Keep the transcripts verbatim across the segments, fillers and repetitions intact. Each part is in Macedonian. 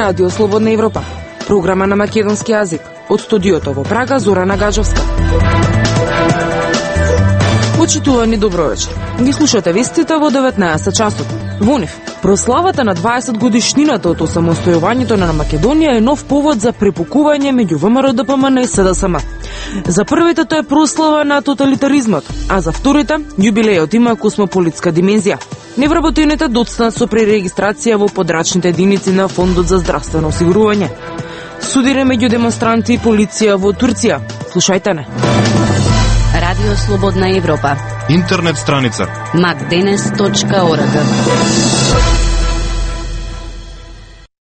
Радио Слободна Европа, програма на македонски јазик. Од студиото во Прага, Зорана Гаджовска. Почитувани, добро вечер. Ги слушате вестите во деветнаесет часот. Во нив, прославата на дваесет годишнината од осамостојувањето на Македонија е нов повод за препукување меѓу ВМРО-ДПМН и СДСМ. За првите тоа е прослава на тоталитаризмот, а за вторите јубилејот има космополитска димензија. Невработените доцнат со пререгистрација во подрачните единици на Фондот за здравствено осигурување. Судире меѓу демонстранти и полиција во Турција. Слушајте не. Радио Слободна Европа. Интернет страница макденес точка орг.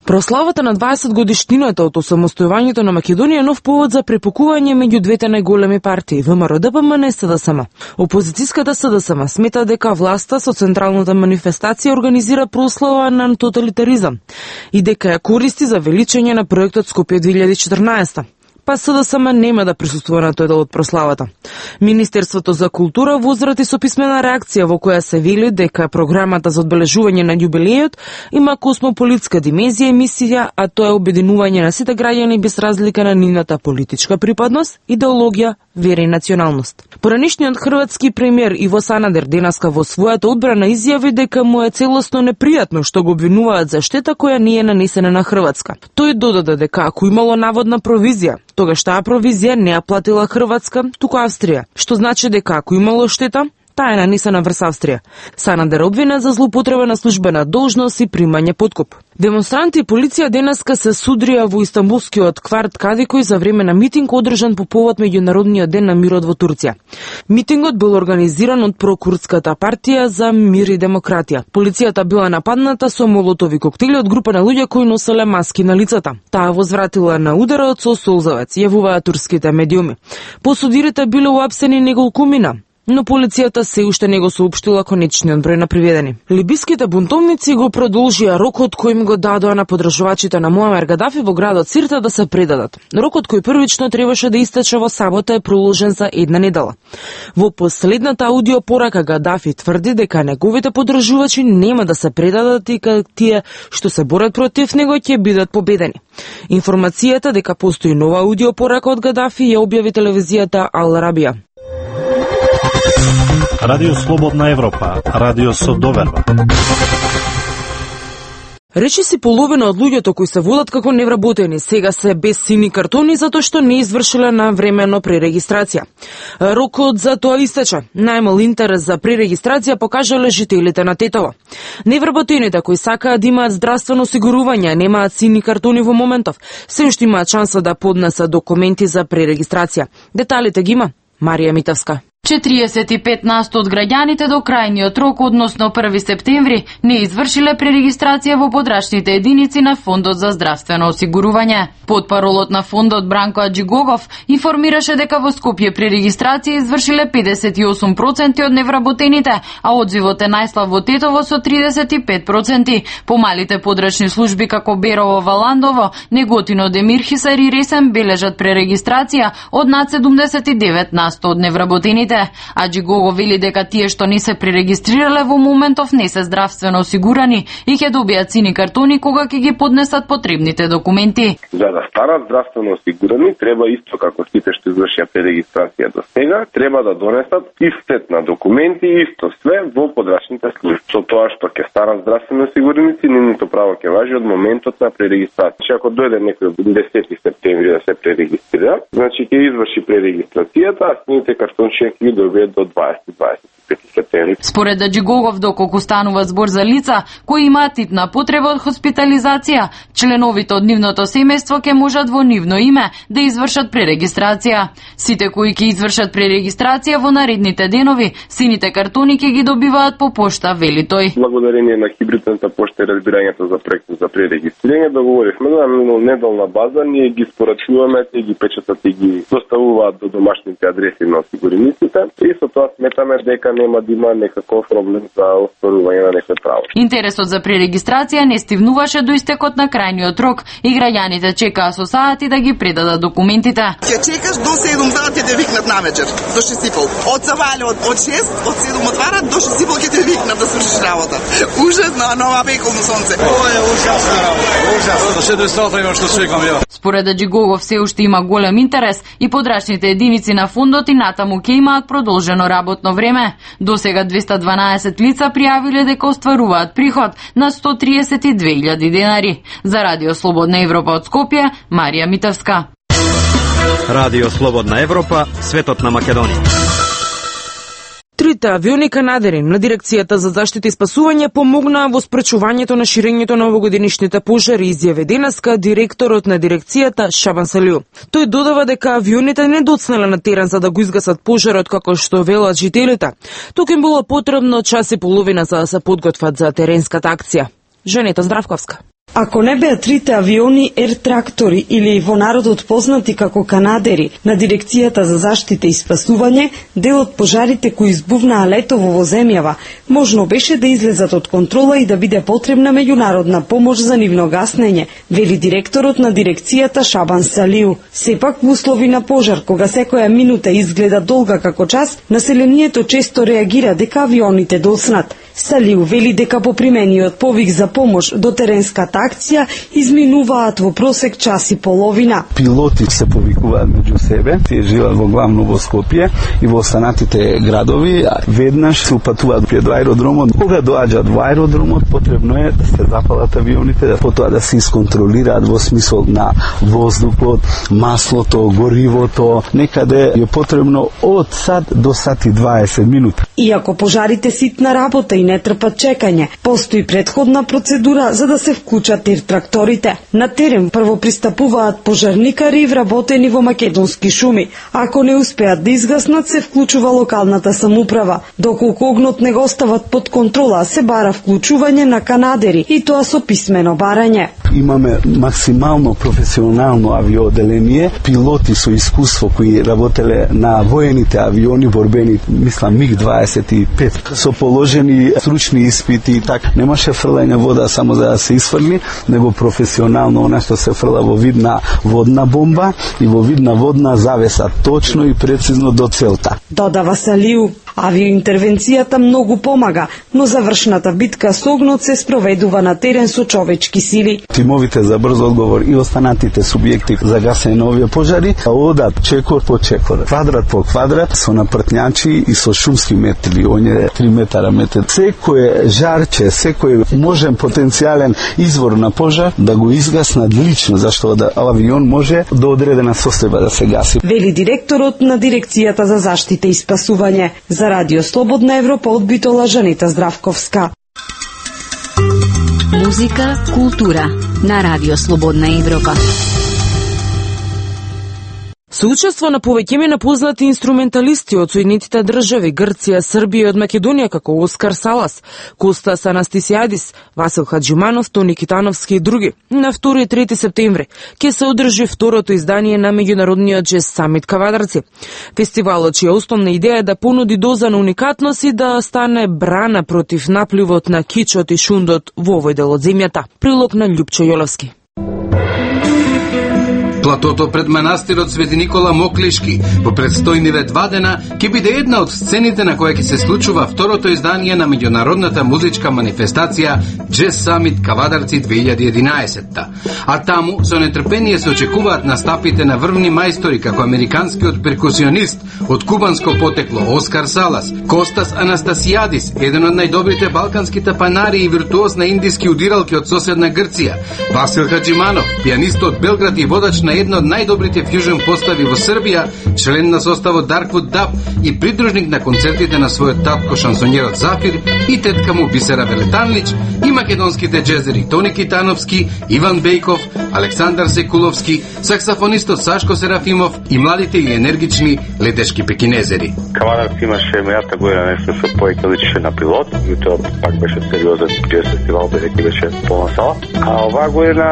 Прославата на дваесет годишнината од осамостојувањето на Македонија е нов повод за препукување меѓу двете најголеми партии, ВМРО-ДПМН и СДСМ. Опозицијската СДСМ смета дека власта со централната манифестација организира прослава на тоталитаризам и дека ја користи за величење на проектот Скопје две илјади и четрнаесета. Па СДСМ нема да присуствува на тој дел од прославата. Министерството за култура возрати со писмена реакција во која се вели дека програмата за одбележување на јубилејот има космополитска димензија и мисија, а тоа е обединување на сите граѓани без разлика на нивната политичка припадност, идеологија, вера и националност. Поранишниот хрватски премиер Иво Санадер денеска во својата одбрана изјави дека му е целосно непријатно што го обвинуваат за штета која не е нанесена на Хрватска. Тој додаде дека ако имало наводна провизија, тогаш таа провизија не ја платила Хрватска, туку Австрија, што значи дека ако имало штета, таа е нанесена врз Австрија. Санадер обвина за злоупотреба на службена должност и примање подкуп. Демонстранти и полиција денеска се судрија во Истанбулскиот кварт Кадикој за време на митинг одржан по повод меѓународниот ден на мирот во Турција. Митингот бил организиран од прокурдската партија за мир и демократија. Полицијата била нападната со молотови коктели од група на луѓе кои носеле маски на лицата. Таа возвратила на ударот со солзавец, јавуваат турските медиуми. Посудирите биле уапсени неколку мина, но полицијата се уште не го соопштила конечниот број на приведени. Либиските бунтовници го продолжија рокот кој им го дадоа на поддржувачите на Муамар Гадафи во градот Сирта да се предадат. Рокот кој првично требаше да истече во сабота е проложен за една недела. Во последната аудио порака Гадафи тврди дека неговите поддржувачи нема да се предадат и дека тие што се борат против него ќе бидат победени. Информацијата дека постои нова аудио порака од Гадафи ја објави телевизијата Ал Арабија. Радио Слободна Европа, радио со доверба. Речи си половина од луѓето кои се водат како невработени сега се без сини картони затоа што не извршиле навремено пререгистрација. Рокот за тоа истече. Најмал интерес за пререгистрација покажале жителите на Тетово. Невработените кои сакаат да имаат здравствено осигурување, немаат сини картони во моментов, се уште имаат шанса да поднесат документи за пререгистрација. Деталите ги има Марија Митевска. четириесет и пет на сто од граѓаните до крајниот рок, односно први септември, не извршиле пререгистрација во подрачните единици на Фондот за здравствено осигурување. Потпаролот на фондот Бранко Аџигогов информираше дека во Скопје пререгистрација извршиле педесет и осум проценти од невработените, а одзивот е најслаб во Тетово со тридесет и пет проценти. Помалите подрачни служби како Берово, Валандово, Неготино, Демирхисар и Ресен бележат пререгистрација од над седумдесет и девет на сто од невработените. Аџигого вели дека тие што не се пререгистрирале во моментов не се здравствено осигурани и ќе добијат сини картони кога ќе ги поднесат потребните документи. За да станат здравствено осигурани, треба исто како сите што извршија пререгистрација до сега, треба да донесат истет на документи и исто све во подрачните служби. Со тоа што ќе станат здравствено осигураници, нивното право ќе важи од моментот на пререгистрација. Ако дојде некој десети септември да се пререгистрира, значи ќе изврши пререгистрацијата, а сините картончиња ги добијат до дваесет дваесет и пет септември. Според Аџигогов, доколку станува збор за лица кои имаат итна потреба од хоспитализација, членовите од нивното семејство ќе можат во нивно име да извршат пререгистрација. Сите кои ќе извршат пререгистрација во наредните денови, сините картони ќе ги добиваат по пошта, вели тој. Благодарение на хибридната пошта и разбирањето за проектот за пререгистрирање, договоривме на минолнеделна база, ние ги спорачуваме, те ги печатат и ги доставуваат до домашните адреси на осигурениците и со тоа сметаме дека нема да има некаков проблем за остварување на некој право. Интересот за пререгистрација не стивнуваше до истекот на крајниот рок и граѓаните чекаа со сати да ги предадат документите. Ќе чекаш до седум сати ќе те викнат на вечер, до шест и пол. Од Савале од, од шест, од седум отварат, до шест и пол ќе те викнат да свршиш работа. Ужасно, а нова пеколно сонце. Ова е ужасна работа, ужасно. До седум сати има што чекам ја. Според Аџигогов все уште има голем интерес и подрачните единици на фондот и натаму ќе имаат продолжено работно време. До сега двеста дванаесет лица пријавиле дека остваруваат приход на сто триесет и две илјади денари. За Радио Слободна Европа од Скопје, Марија Митевска. Радио Слободна Европа, светот на Македонија. Трите авиони канадери на Дирекцијата за заштита и спасување помогнаа во спречувањето на ширењето на овогодинишните пожари, изјави денеска директорот на дирекцијата Шабан Салиу. Тој додава дека авионите не доцнале на терен за да го изгасат пожарот како што велат жителите. Тука им било потребно час и половина за да се подготват за теренската акција. Женета Здравковска. Ако не беа трите авиони Ер Трактори или во народот познати како канадери на Дирекцијата за заштита и спасување, дел од пожарите кои избувнаа летово во земјава, можно беше да излезат од контрола и да биде потребна меѓународна помош за нивно гаснење, вели директорот на дирекцијата Шабан Салиу. Сепак во услови на пожар, кога секоја минута изгледа долга како час, населението често реагира дека авионите доцнат. Салиу вели дека по примениот повик за помош до теренската акција изминуваат во просек час и половина. Пилоти се повикуваат меѓу себе, тие живеат во главно во Скопје и во останатите градови, веднаш се упатуваат пред аеродромот. Кога доаѓаат во аеродромот, потребно е да се запалат авионите, да потоа да се исконтролираат во смисол на воздухот, маслото, горивото. Некаде е потребно од сат до сат и дваесет минути. Иако пожарите ситна работа и не трпат чекање, постои претходна процедура за да се вклучат Ер Тракторите. На терен прво пристапуваат пожарникари вработени во македонски шуми. Ако не успеат да изгаснат, се вклучува локалната самоуправа. Доколку огнот не го остават под контрола, се бара вклучување на канадери и тоа со писмено барање. Имаме максимално професионално авиоделение, пилоти со искуство кои работеле на воените авиони борбени, мислам миг дваесет и пет, со положени стручни испити и така. Немаше фрлање вода само за да се изфрли, него професионално она што се фрла во вид на водна бомба и во вид на водна завеса, точно и прецизно до целта. Додава Салиу. Авиоинтервенцијата многу помага, но завршната битка со огнот се спроведува на терен со човечки сили. Тимовите за брз одговор и останатите субјекти за гасење на овие пожари одат чекор по чекор, квадрат по квадрат, со напртњачи и со шумски метли, оние три метара метет. Секој жарче, секој можен потенцијален извор на пожар да го изгаснат лично, зашто да авион може до одредена состојба да се гаси. Вели директорот на Дирекцијата за заштита и спасување. За Радио Слободна Европа од Битола, Жанета Здравковска. Музика, култура на Радио Слободна Европа. Со учество на повеќеме на познати инструменталисти од Соединетите држави, Грција, Србија и од Македонија, како Оскар Салас, Костас Анастасијадис, Васил Хаџиманов, Тони Китановски и други, на втори и трети септември ќе се одржи второто издание на меѓународниот джез самит Кавадарци. Фестивалот чија основна идеја е да понуди доза на уникатност и да стане брана против напливот на кичот и шундот во овој дел од земјата. Прилог на Љупчо Јоловски. Платото пред манастирот Свети Никола Моклишки во предстојниве два дена ќе биде една од сцените на која ќе се случува второто издание на меѓународната музичка манифестација Джез Самит Кавадарци две илјади и единаесетта. А таму со нетрпение се очекуваат настапите на врвни мајстори како американскиот перкусионист од кубанско потекло Оскар Салас, Костас Анастасијадис, еден од најдобрите балкански тапанари и виртуоз на индиски удиралки од соседна Грција, Васил Хаџиманов, пианист од Белград и водач на една од најдобрите фјужен постави во Србија, член на составот Darkwood Dub и придружник на концертите на својот татко шансонјерот Зафир и тетка му Бисера Велетанлич, и македонските джезери Тони Китановски, Иван Бејков, Александар Секуловски, саксофонистот Сашко Серафимов и младите и енергични летешки пекинезери. Кавадарци имаше мејата година нешто со повеќе личеше на пилот, и тоа пак беше сериозен джез фестивал, бидејќи беше полна сала. А оваа година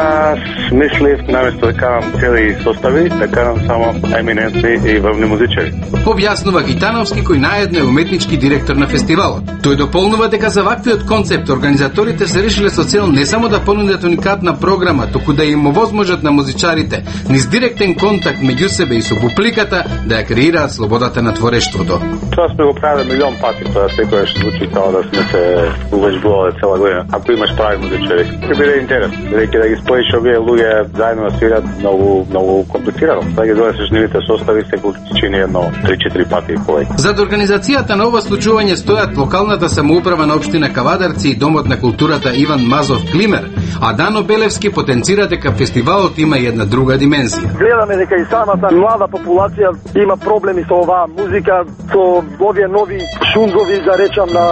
мислев наместо да карам цели состави, да карам само еминентни и врвни музичари. Објаснува Гитановски, кој наедно е уметнички директор на фестивалот. Тој дополнува дека за ваквиот концепт организаторите се решиле со цел не само да понудат уникатна програма, току да им овозможат на музичарите низ директен контакт меѓу себе и со публиката да ја креираат слободата на творештвото. Тоа сме го правиле милион пати, тоа секојаш звучи како да сме се увежбувале цела година. Ако имаш прави музичари, ќе биде интерес. Бидејќи да ги споиш овие луѓе заедно да свират многу многу комплицирано. Да ги донесеш нивните состави секој чини едно три-четири пати повеќе. Зад организацијата на ова случување стојат локалната самоуправа на општина Кавадарци и Домот на културата Иван Мазов Климер, а Дано Белевски потенцира дека фестивалот има и една друга димензија. Гледаме дека и самата млада популација има проблеми со оваа музика, со овие нови шунгови, да речам, на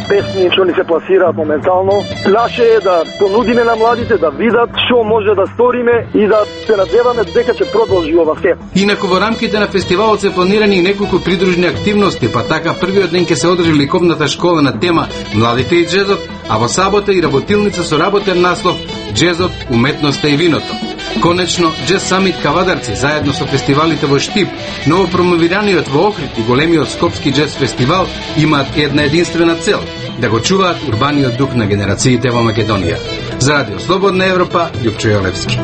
песни што ни се пласираат моментално. Наше е да понудиме на младите да видат што може да сториме и да се надеваме дека ќе продолжи ова се. Инаку во рамките на фестивалот се планирани и неколку придружни активности, па така првиот ден ќе се одржи ликовната школа на тема Младите и джезот, а во сабота и работилница со работен наслов Джезот, уметноста и виното. Конечно, Джез Самит Кавадарци заедно со фестивалите во Штип, новопромовираниот во Охрид и големиот Скопски джез фестивал имаат една единствена цел – да го чуваат урбаниот дух на генерациите во Македонија. За Радио Слободна Европа, Љупчо Јолевски.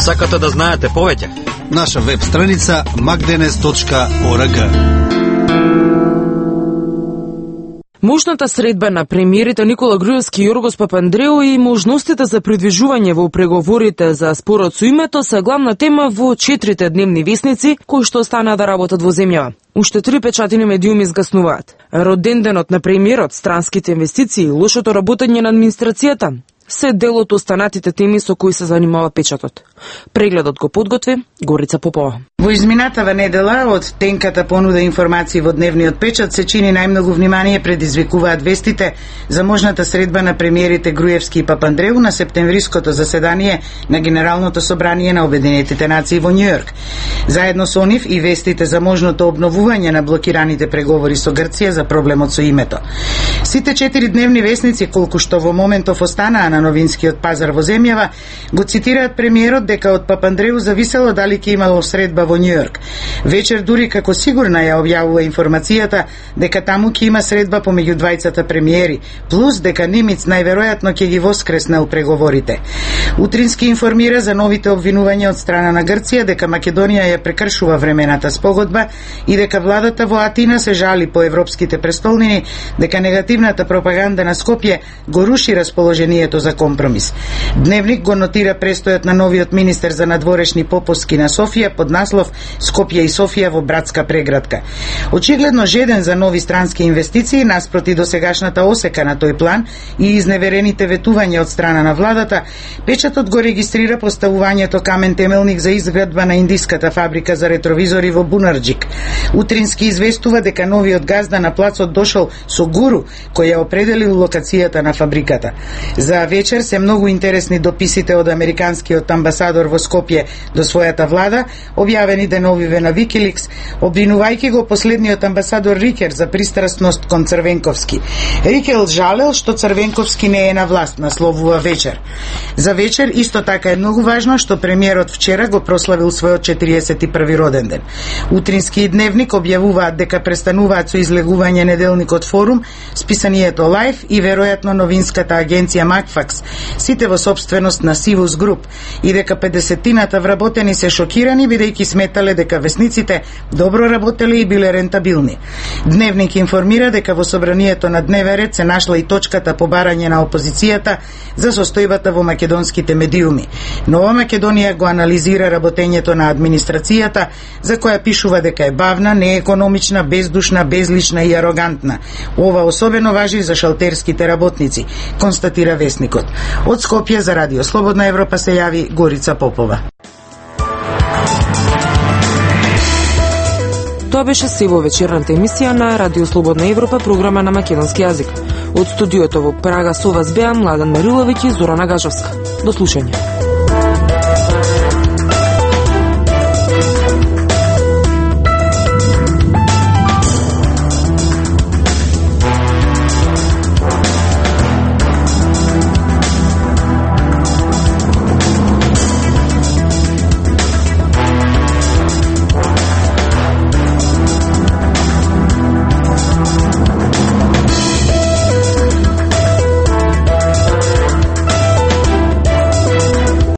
Сакате да знаете повеќе? Наша веб страница magdenes точка org. Мощната средба на премиерите Никола Груевски и Јоргос Папандреу и можностите за придвижување во преговорите за спорот со името се главна тема во четирите дневни весници кои што останаа да работат во земјава. Уште три печатини медиуми изгаснуваат. Роденденот на премиерот, странските инвестиции, лошото работење на администрацијата се дел од останатите теми со кои се занимава печатот. Прегледот го подготви Горица Попова. Во изминатава недела од тенката понуда информации во дневниот печат се чини најмногу внимание предизвикуваат вестите за можната средба на премиерите Груевски и Папандреу на септемвриското заседание на Генералното собрание на Обединетите нации во Њујорк. Заедно со нив и вестите за можното обновување на блокираните преговори со Грција за проблемот со името. Сите четири дневни вестници, колку што во моментов останаа на новинскиот пазар во земјава, го цитираат премиерот дека од Папандреу зависело дали ќе имало средба во Њујорк. Вечер дури како сигурна ја објавува информацијата дека таму ќе има средба помеѓу двајцата премиери, плюс дека Нимиц најверојатно ќе ги воскреснел преговорите. Утрински информира за новите обвинувања од страна на Грција дека Македонија ја прекршува времената спогодба и дека владата во Атина се жали по европските престолнини дека негативната пропаганда на Скопје го руши расположението за компромис. Дневник го нотира престојот на новиот министер за надворешни попуски на Софија под наслов Скопје и Софија во братска преградка. Очигледно жеден за нови странски инвестиции наспроти досегашната осека на тој план и изневерените ветувања од страна на владата, печатот го регистрира поставувањето камен темелник за изградба на индиската фабрика за ретровизори во Бунарџик. Утрински известува дека новиот газда на плацот дошол со гуру кој ја определил локацијата на фабриката. За вечер се многу интересни дописите од американскиот амбасадор во Скопје до својата влада, објавени деновиве на Викиликс, обвинувајќи го последниот амбасадор Рикер за пристрасност кон Црвенковски. Рикел жалел што Црвенковски не е на власт, насловува вечер. За вечер исто така е многу важно што премиерот вчера го прославил својот четириесет и први роден ден. Утрински и дневник објавуваат дека престануваат со излегување неделникот Форум, списанието Лайф и веројатно новинската агенција Макфакс, сите во собственост на Сивус Груп, и дека педесетината вработени се шокирани бидејќи сметале дека весниците добро работеле и биле рентабилни. Дневник информира дека во собранието на дневен ред се нашла и точката по барање на опозицијата за состојбата во македонските медиуми. Нова Македонија го анализира работењето на администрацијата, за која пишува дека е бавна, неекономична, бездушна, безлична и арогантна. Ова особено важи за шалтерските работници, констатира вестникот. Од Скопје за Радио Слободна Европа се јави Горица Попова. Тоа беше се во вечерната емисија на Радио Слободна Европа, програма на македонски јазик. Од студиото во Прага со вас беа Младен Мариловиќ и Зорана Гажовска. До слушање.